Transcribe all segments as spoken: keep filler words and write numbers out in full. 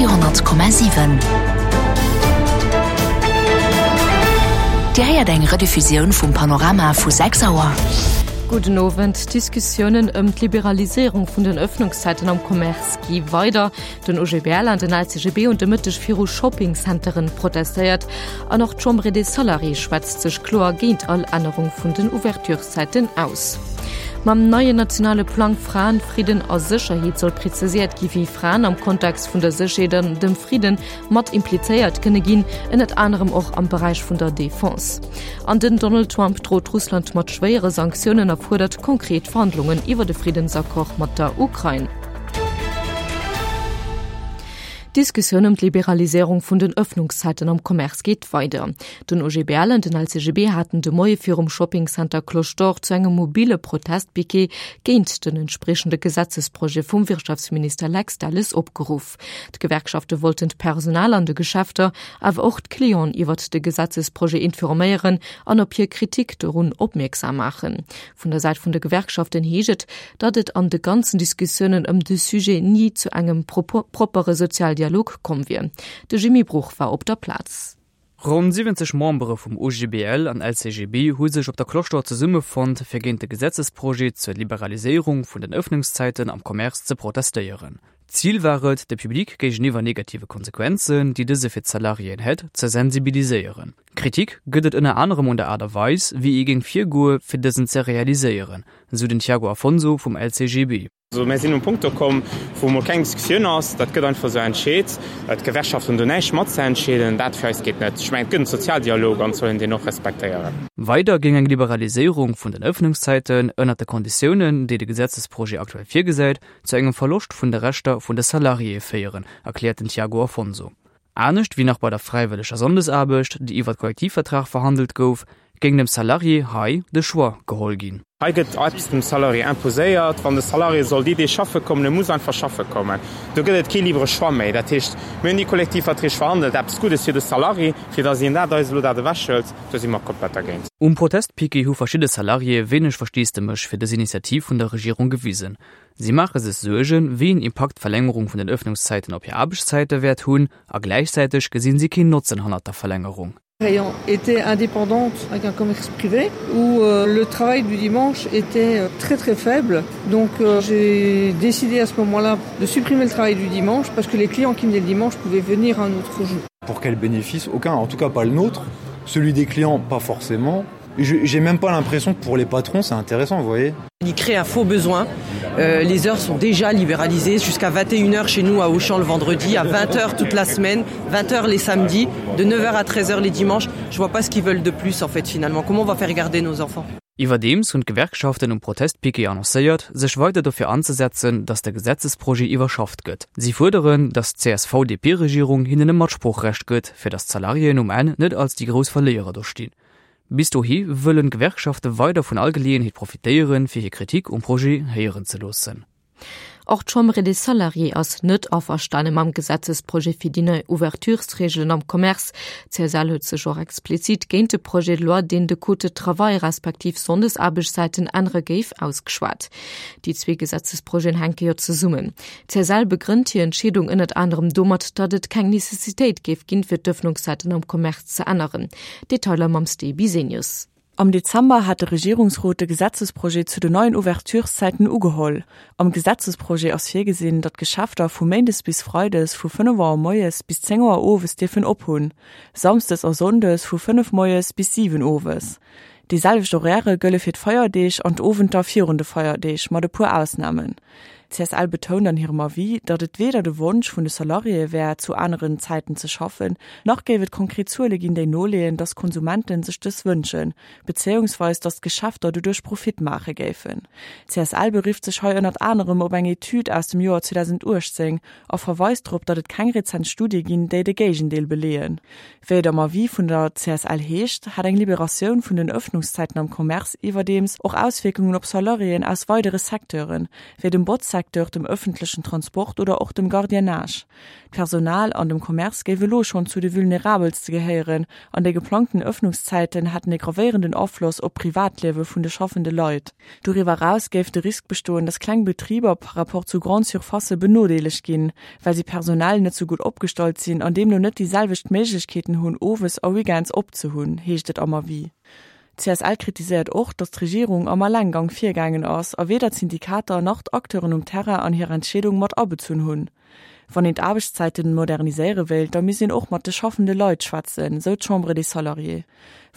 Radio honnert Komma siwen. Dir héiert eng Rediffusioun vum Panorama vu sechs Auer. Gudden Owend. D'Diskussiounen ëm d'Liberaliséierung vun den Ëffnungszäiten am Commerce gi weider. Den O G B L an den L C G B hunn de Mëtteg viru Shoppingcenteren protestéiert. An och d'Chambre des Salariés schwätzt sech kloer géint all Ännerung vun den Ouvertureszäiten aus. Mam neien nationale Plang Fraen, Fridden a Sécherheet soll präzisiert gi wéi Fraen am Kontext vun der Sécherheet an dem Fridden mat implizéiert kënne ginn, ënnert anerem och am Beräich vun der Defense. An den Donald Trump droht Russland mat schwéiere Sanktiounen a fuerdert konkret Verhandlungen iwwer de Friddensaccord mat der Ukrain. D'Diskussioun ëm d'Liberaliséierung vun den Ëffnungszäiten am Commerce geet weider. Den O G B L an den L C G B haten de Moie virum Shoppingcenter Cloche d'Or zu engem mobile Protestpiquet géint den entspriechende Gesetzesprojet vum Wirtschaftsminister Lex Delles opgeruff. D'Gewerkschafte wollten d'Personal an de Geschäfter, awer och d'Clienten iwwer de Gesetzesprojet informéieren an op hir Kritik dorun opmierksam maachen. Vun der Säit vun de Gewerkschaften heescht et, datt et an de ganzen Diskussiounen ëm de Sujet ni zu engem propo-, propere Sozialdialog komm wier. De Jimmy Bruch war op der Plaz. Ronn siwwenzeg Membere vum O G B L an L C G B hu sech op der Cloche d'Or zesummefonnt, fir géint de Gesetzesprojet zur Liberaliséierung vun den Ëffnungszäiten am Commerce ze protestéieren. Ziel war et, de Public géigeniwwer negative Konsequenzen, déi dëse fir d'Salariéen hätt, ze sensibiliséieren. Kritik gëtt et ënner anerem un der Aart a Weis, wéi ee géing virgoe fir dësen ze realiséieren, sou den Thiago Afonso vum L C G B. Also, mir sinn um Punkt gekommen, wou mol keng Diskussioun ass, dat gëtt einfach sou entscheet. D'Gewerkschaft hunn do näischt mat ze entscheeden, dat fir eis geet net. Ech mengen, et gëtt en Sozialdialog an sollen deen och respektéieren. Weider géing eng Liberaliséierung vun den Ëffnungszäiten ënner de Konditiounen, déi de Gesetzesprojet aktuell virgesäit, zu engem Verloscht vun de Rechter vun de Salariéë féieren, erkläert den Thiago Afonso. Anescht wéi nach bei der fräiwëlleger Sonndesaarbecht, déi iwwer Kollektivvertrag verhandelt gouf, géing dem Salarié hei de Choix geholl ginn. Hei gëtt eppes dem Salarié imposéiert, wann de Salarié soll déi, déi schaffe kommen, e muss einfach schaffe kommen. Do gëtt et kee libre Choix méi. Dat heescht, mir hunn déi Kollektivverträg verhandelt, eppes Guddes fir de Salarié, fir datt hien dat eis elo dat ewechhëlt, do si mer komplett dergéint. Um Protestpiquet hu verschidde Salariéë wéineg Versteesdemech fir dës Initiativ vun der Regierung gewisen. Si maache sech Suergen, wéi een Impakt d'Verlängerung vun den Ëffnungszäiten op hir Aarbechtszäite wäert hunn, a gläichzäiteg gesinn si keen Notzen hannert der Verlängerung. Ayant été indépendante avec un commerce privé où, euh, le travail du dimanche était, euh, très, très faible. Donc, euh, j'ai décidé à ce moment-là de supprimer le travail du dimanche parce que les clients qui venaient le dimanche pouvaient venir un autre jour. Pour quel bénéfice? Aucun, en tout cas pas le nôtre. Celui des clients, pas forcément. Je, j'ai même pas l'impression que pour les patrons, c'est intéressant, vous voyez. Il crée un faux besoin. Euh, les heures sont déjà libéralisées jusqu'à vingt et une heures chez nous à Auchan le vendredi, à vingt heures toute la semaine, vingt heures les samedis, de neuf heures à treize heures les dimanches. Je vois pas ce qu'ils veulent de plus en fait finalement. Comment on va faire garder nos enfants? Iwwerdeems hunn d'Gewerkschaften um Protestpiquet annoncéiert, sech weider dofir anzesetzen, datt de Gesetzesprojet iwwerschafft gëtt. Si fuerderen, datt d'C S V D P-Regierung hinnen e Matsproochrecht gëtt, fir datt d'Salariéen um Enn net als déi grouss Verléierer do stinn. Bis dohi wëllen Gewerkschafte weider vun all Geleeënheet profitéieren, fir hir Kritik um Projet héieren ze loossen. Och d'Chambre des Salariés ass net averstane mam Gesetzesprojet fir déi nei Ouverturesregeln am Commerce. C S L huet sech och explizit géint de Projet de loi, deen de Code de Travail respektiv Sonndesaarbechtszeiten ännere géif, ausgeschwat. Déi zwee Gesetzesprojeten hänke jo zesummen. C S L begrënnt hir Entscheedung ënnert anderem domat, datt et keng Necessitéit géif ginn, fir d'Ëffnungszäiten am Commerce ze änneren. Detailer mam Steve Bisenius. Am Dezember hat de Regierungsrot de Gesetzesprojet zu den neuen Ouvertureszeiten ugeholl. Am Gesetzesprojet ass virgesinn, datt Geschäfter vu Méindes bis Freides vu fënnef Auer moies bis zéng Auer owes dierfen ophunn, Samsdes a Sonndes vu fënnef moies bis siwen owes. Déi selwecht Horaire gëlle fir d'Feierdeeg an d'Owenter virun de Feierdeeg, mat e puer Ausnamen. C S L betount an hirem Avis, datt et weder de Wonsch vun de Salariéë wär, zu aneren Zäiten ze schaffen, nach géif et konkret Zuele ginn, déi noleeën, datt Konsumenten sech dës wënschen, beziehungsweise datt Geschäfter doduerch Profit maache géifen. C S L berifft sech hei ënnert anerem op eng Etüd aus dem Joer zweitausendachtzehn a verweist drop, datt et keng rezent Studie ginn, déi de Géigendeel beleeën. Wéi et am Avis vun der C S L heescht, hat eng Liberatioun vun den Ëffnungszäiten am Commerce iwwerdeems och Auswirkungen op Salariéen aus weidere Secteuren, wéi dem Botzsecteur Kultursecteur, dem ëffentlechen Transport oder och dem Gardiennage. D'Personal an dem Commerce géif elo schonn zu de vulnerabelste gehéieren an déi geplangten Ëffnungszäiten hätten e gravéierenden Afloss op d'Privatliewe vun de schaffende Leit. Doriwwer eraus géif de Risk bestoen, datt kleng Betriber par rapport zu Grande-surfacë benodeelegt ginn, well si personell net sou gutt opgestallt sinn an deemno net déi selwecht Méiglechkeeten hunn, owes a weekends opzehunn, heescht et am Avis. D'CSL kritiséiert och, datt d'Regierung am Allenggang virgaangen ass a weder d'Syndikater nach d'Acteuren um Terrain an hir Entscheedung mat abezunn hunn. Wann een d'Aarbechtszäiten moderniséiere wéilt, da misst een och mat de schaffende Leit schwätzen, sou d'Chambre des Salariés.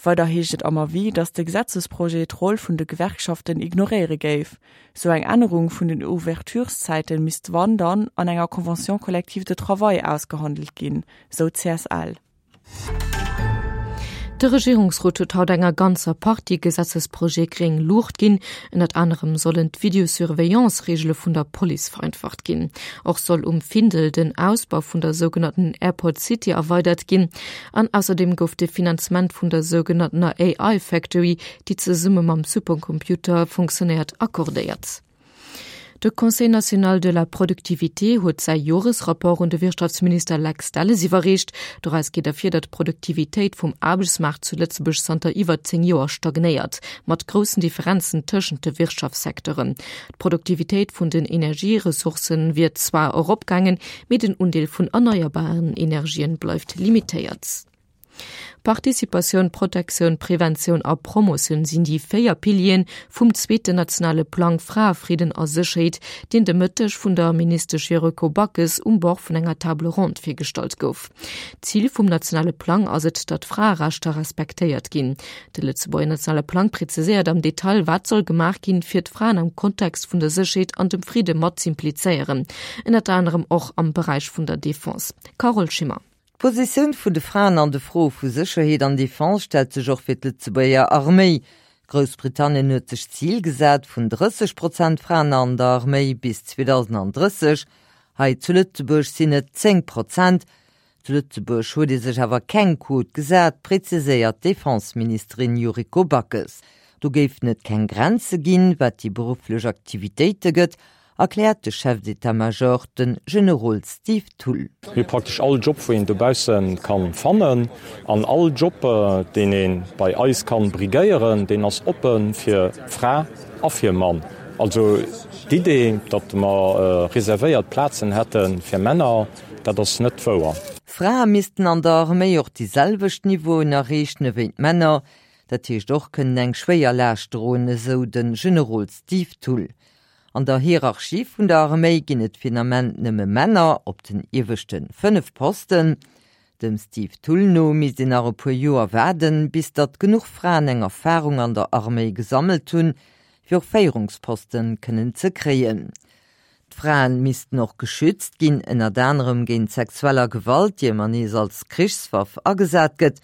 Weider heescht et am Avis, datt de Gesetzesprojet d'Roll vun de Gewerkschaften ignoréiere géif. Sou eng Ännerung vun den Ouvertureszäite misst wann dann an enger Convention collective de travail ausgehandelt ginn, sou d'CSL. De Regierungsrot huet haut enger ganzer Partie Gesetzesprojete gréng Luucht ginn. Ënnert anerem sollen d'Videosurveillance-Reegele vun der Police vereinfacht ginn. Och soll um Findel den Ausbau vun der sougenannten Airport City erweidert ginn. An ausserdeem gouf de Finanzement vun der sougenanntener A I Factory, déi zesumme mam Supercomputer funktionéiert, accordéiert. De Conseil national de la productivité huet säi Joresrapport un de Wirtschaftsminister Lex Delles iwwerreecht. Doraus geet ervir, datt d'Produktivitéit vum Aarbechtsmaart zu Lëtzebuerg zanter iwwer zéng Joer stagnéiert, mat groussen Differenzen tëschent de Wirtschaftssecteuren. D'Produktivitéit vun den Energieressourcë wier zwar eropgaangen, mee den Undeel vun erneierbaren Energien bleift limitéiert. Participatioun, Protektioun, Preventioun a Promotioun sinn déi véier Piliere vum zweeten nationale Plang Frae, Fridden a Sécherheet, deen de Mëtteg vun der Ministesch Yuriko Backes um Bord vun enger Table ronde virgestallt gouf. Zil vum nationale Plang ass et, datt Fraerechter respektéiert ginn. De Lëtzebuerger nationale Plang präziséiert am Detail, wat soll gemaach ginn, fir d'Fraen am Kontext vun der Sécherheet an dem Fridde mat z'implizéieren, ënnert anerem och am Beräich vun der Defense. Carole Schimmer. D'Positioun vun de Fraen an de Froe vu Sécherheet an Defense stellt sech och fir d'Lëtzebuerger Arméi. Groussbritannien huet sech d'Zil gesat vun drësseg Prozent Fraen an der Arméi bis zweedausendandrësseg. Hei zu Lëtzebuerg sinn et zéng Prozent. Zu Lëtzebuerg huet ee sech awer keng Quot gesat, preziséiert d'Defenseministerin Yuriko Backes. Do géifen et keng Grenze ginn, wat déi berufflech Aktivitéite gëtt, erkläert de Chef d'état-major, de Generol Steve Thull. Mir hu praktesch all Job, wou een dobausse ka fannen, an all Job, deen ee bei eis ka briguéieren, deen ass oppe fir Fra a fir Mann. Also d'Idee, datt mer reservéiert Plazen hätte fir Männer, dat ass net wouer. Frae missten an der Arméi och déi selwecht Niveauen erreechen ewéi d'Männer, dat heescht och kënnen eng schwéier Laascht droen, esou de Generol Steve Thull. An der Hierarchie vun der Arméi ginn et fir den Ament nëmme Männer op den ieweschte fënnef Posten. Dem Steve Thull no misst een nach e puer Joer waarden, bis datt genuch Fraen eng Erfarung an der Arméi gesammelt hunn, fir och Féierungsposte kënnen ze kréien. D'Fraen missten och geschützt ginn, ënnert anerem géint sexueller Gewalt, déi ëmmer nees als Krichswaff agesat gëtt.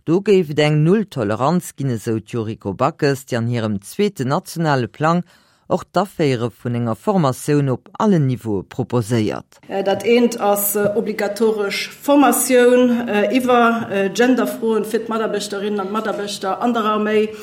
Do géif et eng Null-Toleranz ginn, esou d'Yuriko Backes, déi an hirem zweeten nationale Plang och d'Aféiere vun enger Formatioun op allen Niveaue proposéiert. Dat eent ass obligatoresch Formatioun iwwer Genderfroen fir d'Mataarbechterinnen an d'Mataarbechter an der Arméi,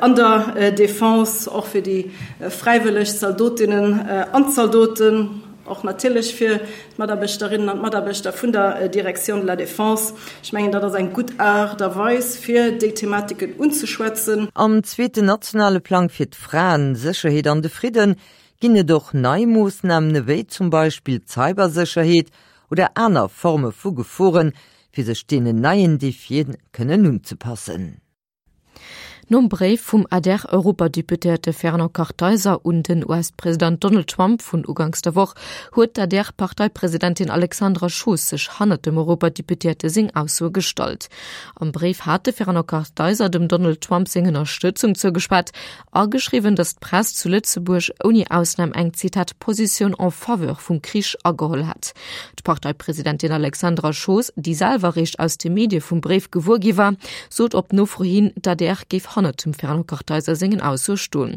an der Defense, och fir déi fräiwëlleg Zaldotinnen an Zaldoten, och natierlech fir d'Mataarbechterinnen an d'Mataarbechter vun der Direction de la Défense. Ech mengen, dat ass eng gutt Aart a Weis, fir déi Thematiken unzeschwätzen. Am zweeten nationale Plang fir d'Fraen, d'Sécherheet an de Fridden ginn et och nei Moossnamen ewéi zum Beispill d'Cybersécherheet oder aner Forme vu Geforen, fir sech deenen neien Defien kënnen unzepassen. Nom Bréif vum A D R-Europadeputéierte Fernand Kartheiser un den U S-President Donald Trump vun uganks der Woch huet d'A D R-Parteipresidentin Alexandra Schoos sech hannert dem Europadeputéierte seng Aussoe gestallt. Am Bréif hat de Fernand Kartheiser dem Donald Trump seng Ënnerstëtzung zougeschwat a geschriwwen, datt d'Press zu Lëtzebuerg ouni Ausnam eng, Zitat, Position en faveur vum Krich ageholl hätt. D'Parteipresidentin Alexandra Schoos, déi selwer réischt aus de Medie vum Bréif gewuer gi war, sot op Nofro hin, d'A D R géif hannert dem Fernand Kartheiser sengen Aussoe stoen.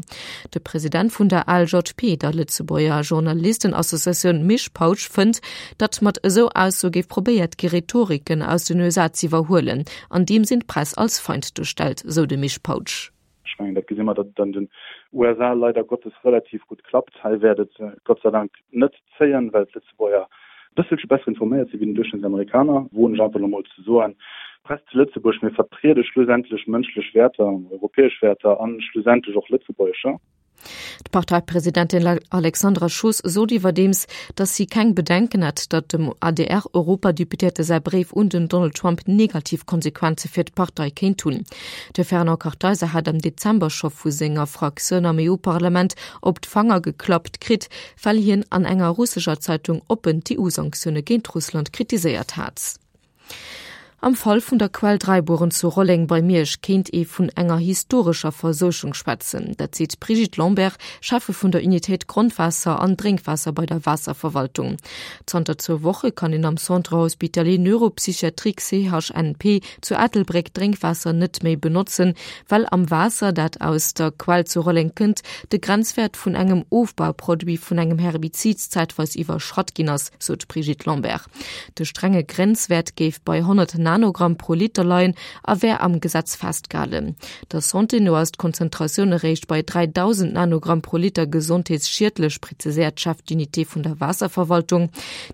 De President vun der A L J P, der Lëtzebuerger Journalistenassociatioun, Misch Pautsch, fënnt, datt mat esou Aussoe géif probéiert gi Rhetoriken aus den U S A z'iwwerhuelen, andeems een d'Press als Feind duerstellt, sou de Misch Pautsch. Ech mengen, dat gesi mer, datt et an den U S A leider Gottes relativ gutt klappt. Hei wäert et Gott sei Dank net zéien, well d'Lëtzebuerger e bësselche besser informéiert si wéi den Duerchschnëttsamerikaner, woen ech einfach elo mol ze soen. D'Press zu Lëtzebuerg, mir vertriede schlussendlech mënschlech Wäerter, europäesch Wäerter a schlussendlech och lëtzebuergescher. D'Parteipresidentin Alexandra Schoos sot iwwerdeems, datt si keng Bedenken hätt, datt dem A D R-Europadeputéierte säi Bréif un den Donald Trump negativ Konsequenze fir d'Partei kéint hunn. De Fernand Kartheiser hat am Dezember scho vu senger Fraktioun am E U-Parlament op d'Fanger geklappt kritt, well hien an enger russescher Zeitung oppen d'E U-Sanktioune géint Russland kritiséiert hat. Am Fall vun der Quell Dräibueren zu Rolleng bei Miersch kéint ee vun enger historescher Verseuchung schwätzen. Dat seet d'Brigitte Lambert, Cheffe vun der Unitéit Grondwaasser an Drénkwaasser bei der Waasserverwaltung. Zanter zwou Woche kann een am Centre Hospitalier Neuropsychiatrique C H N P zu Ettelbréck Drénkwaasser net méi benotzen, well am Waasser, dat aus der Quell zu Rolleng kënnt, de Grenzwäert vun engem Ofbauproduit vun engem Herbizid zäitweis iwwerschratt ginn ass, sot d'Brigitte Lambert. De strenge Grenzwäert géif bei honnert Nanogramm pro Liter leien a wär am Gesetz festgehalen. Der Santé no ass d'Konzentratioun eréischt bei dreitausend Nanogramm pro Liter gesondheetsschiedlech, präziséiert Chef d'Unité vun der Waasserverwaltung.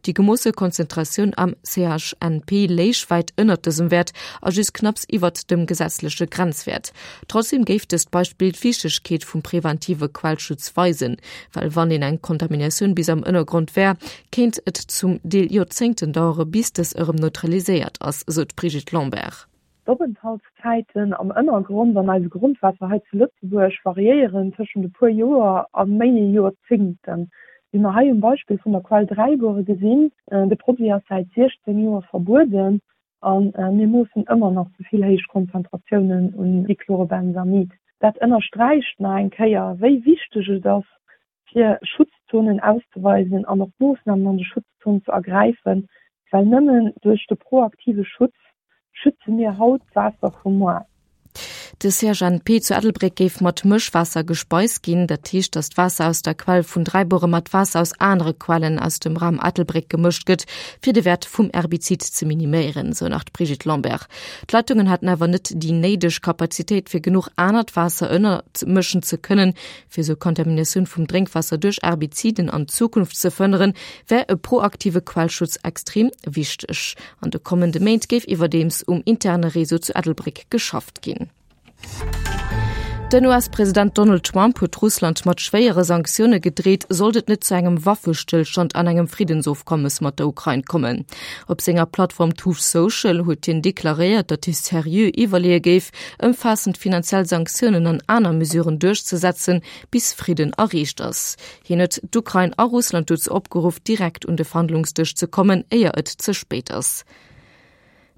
Die gemoosse Konzentratioun am C H N P léich weit ënnert dësem Wert a just knapps iwwert dem gesetzleche Grenzwert. Trotzdem géif dëst Beispill d'Wichtegkeet vum preventive Quellschutz weisen, well wann een eng Kontaminatioun bis am Ënnergrond wär, kéint et zum Deel Joerzéngten dauere, bis dës erëm neutraliséiert ass, sou d'Brigitte Lambert. D'Openthaltszäiten am Ënnergrond an eise Grondwaasser hei zu Lëtzebuerg variéieren tëschent e puer Joer a méi Joerzéngten. Wéi mer hei um Beispill vun der Quell Dräibuere gesinn, de Produit ass säit siechzéng Joer verbueden an mir moossen ëmmer nach ze vill héich Konzentratiounen un Dichlorobenzamid. Dat ënnersträicht nach eng Kéier, wéi wichteg et ass, fir Schutzzonen auszeweisen an och Moossnamen an de Schutzzonen ze ergräifen, well nëmmen duerch de proaktive Schutz schütze mir haut d'Waasser vum Moar. De C H N P zu Ettelbréck géif mat Mëschwaasser gespeist ginn. Dat heescht, datt d'Waasser aus der Quell vun Dräibuere mat Waasser aus anere Quellen aus dem Raum Ettelbréck gemëscht gëtt, fir de Wert vum Herbizid ze miniméieren, sou nach d'Brigitte Lambert. D'Leitungen haten awer net déi néideg Kapazitéit, fir genuch anert Waasser ënnermëschen ze kënnen. Fir sou Kontaminatioun vum Drénkwaasser duerch Herbiziden an Zukunft ze verhënneren, wär e proaktive Quellschutz extrem wichteg. An de kommende Méint géif iwwerdeems um interne Réseau zu Ettelbréck geschafft ginn. Den U S-President Donald Trump huet Russland mat schwéiere Sanktioune gedreet, sollt et net zu engem Waffestillstand an engem Friddensofkommes mat der Ukrain kommen. Op senger Plattform Truth Social huet hien deklaréiert, datt hie seriö iwwerleeë géif, ëmfaassend finanziell Sanktiounen an aner Mesuren duerchzesetzen, bis Fridden erreecht ass. Hien huet d'Ukrain a Russland dozou opgeruff, direkt un de Verhandlungsdësch ze kommen, éier et ze spéit ass.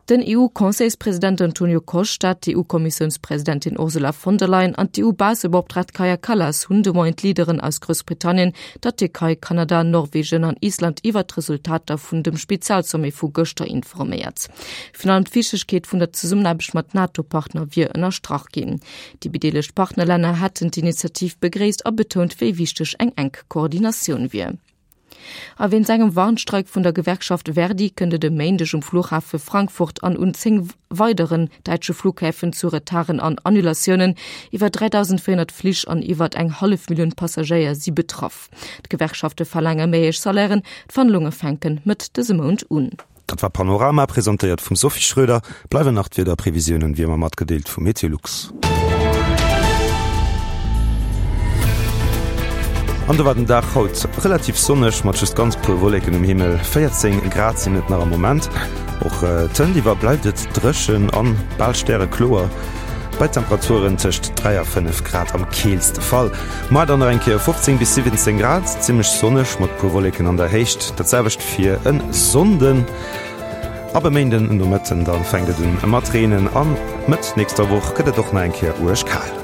Den E U-Conseilspräsident Antonio Costa, d'E U-Kommissiounspresidentin Ursula von der Leyen an d'E U-Baussebeoptraagt Kaja Kallas hunn de Moien d'Leaderen aus Groussbritannien, der Türkei, Kanada, Norwegen an Island iwwer d'Resultater vun dem Spezialsommet vu gëschter informéiert. Virun allem d'Wichtegkeet vun der Zesummenaarbecht mat NATO-Partner wier ënnerstrach ginn. Déi bedeelegt Partnerlänner hätten d'Initiativ begréisst a betount, wéi wichteg eng enk Koordinatioun wier. A wéinst engem Warnstreik vun der Gewerkschaft Verdi kënnt et e Méindeg um Flughafe Frankfurt an un zéng weideren däitsche Flughäfen zu Retarden an Annulatiounen. Iwwer dreitausendvéierhonnert Flich an iwwer eng hallef Millioun Passagéier si betraff. D'Gewerkschafte verlaange méi héich Salairen, d'Verhandlunge fänken mat dësem Mount un. Dat war Panorama, presentéiert vum Sophie Schröder. Bleiwen nach d'Wiederprevisiounen, wéi ëmmer matgedeelt vum Meteolux. An do war den Dag haut relativ sonneg mat just ganz puer Wolleken um Himmel. véierzéng Grad sinn et nach am Moment. Och tënt iwwer bleift et dréchen an bal stärekloer. Bei Temperaturen tëscht dräi a fënnef Grad am keelste Fall. Muer dann nach eng Kéier fofzéng bis siwwenzéng Grad, zimmlech sonneg mat puer Wolleken an der Héicht. Dat selwecht fir en Sonnden. Ab e Méinden Nomëtten dann fänkt et un mat Reenen an Mëtt nächster Woch gëtt et och nach eng Kéier uerg kal.